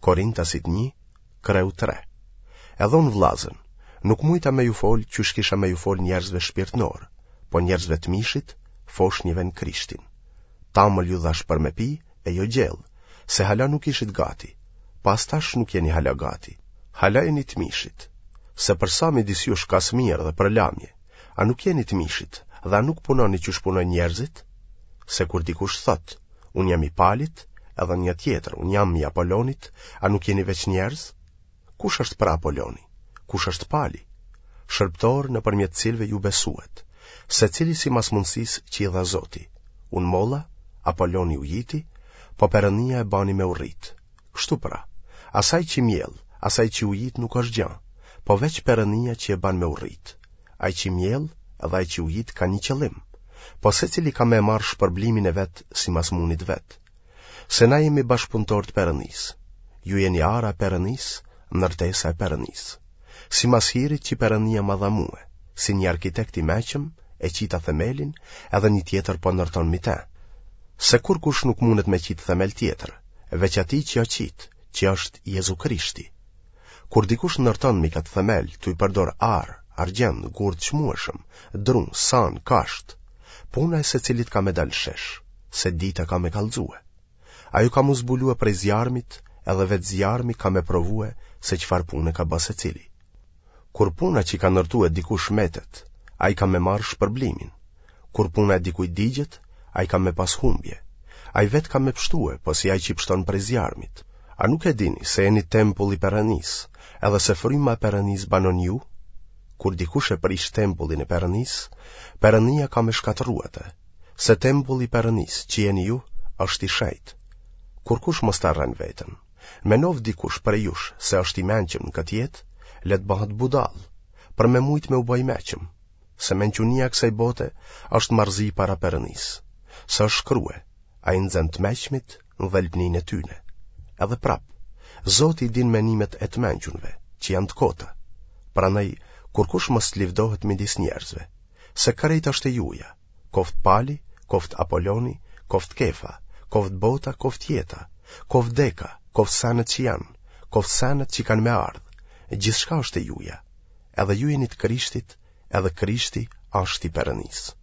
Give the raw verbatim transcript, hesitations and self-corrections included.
Korintasit një, kreu tre. Edhe unë vllazën, nuk mujta me ju fol qysh kisha me ju fol njerëzve shpirtnorë, po njerëzve të mishit, foshnjeve në Krishtin. Tamël ju dhash për me pi, e jo gjellë, se hala nuk ishit gati, po as tash nuk jeni hala gati. Hala jeni të mishit, se për sa midis jush ka smirë dhe përlamje, a nuk jeni të mishit dhe a nuk punoni qysh punojnë njerëzit? Se kur dikush thotë, unë jam i Palit, edhe një tjetër, unë jam i Apolonit, a nuk jeni veç njerëz? Kush është pra Apoloni? Kush është Pali? Shërbëtorë nëpërmjet të cilëve ju besuat, secili simas mundësisë që i dha Zoti. Unë molla, Apoloni ujiti, po Perënia e bani me u rrit. Kështu pra, as ai që mjell, as ai që ujit nuk është gja, po veç Perënia që e ban me u rrit. Ai që mjell dhe ai që ujit ka një qëllim, po secili ka me marrë shpërblimin e vet simas mundit vet. Se na jemi bashkëpunëtorë të Perënisë. Ju jeni ara e Perënisë, ndërtesa e Perënisë. Simas hirit që Perënia ma dha mue, si një arkitekt i meqëm, e qita themelin, edhe një tjetër po ndërton mi te. Se kurkush nuk mundet me qitë themel tjetër, veç atij që o qitë, që është Jezu Krishti. Kur dikush ndërton mi këtë themel, tu i përdor ar, argjend, gur të çmueshëm, dru, san, kasht, puna e secilit ka me dalë shesh, se dita ka me kallxue. Ajo ka mu zbulue prej zjarmit, edhe vetë zjarmi ka me provue se çfarë pune ka ba secili. Kur puna që ka ndërtue dikush metet, ai ka me marrë shpërblimin. Kur puna e dikujt digjet, ai ka me pas humbje. Ai vetë ka me pshtue, po si ai që pshton prej zjarmit. A nuk e dini se jeni tempull i Perënisë, edhe se fryma e Perënisë banon ju? Kur dikush e prish tempullin e Perënisë, Perënia ka me shkatërru atë, se tempulli i Perënisë që jeni ju është i shenjtë. Kurkush mos ta rren veten. Menoftë dikush prej jush se është i mençëm në këtë jetë, le të bëhet budall, për me mujt me u bë i meqëm, se mençunia e kësaj bote është marrëzi para Perënisë, se është shkrue, ai nxen të meqmit në dhelpninë e tyne. Edhe prap, Zoti i din menimet e të mençunve, që janë të kota. Prandaj, kurkush mos të livdohet midis njerëzve, se krejt është e juja, koftë Pali, koftë Apoloni, koftë Kefa, koftë bota, koftë jeta, koftë deka, koftë senet që janë, koftë senet që kanë me ardhë, gjithçka është e juja. Edhe ju jeni të Krishtit, edhe Krishti është i Perënisë.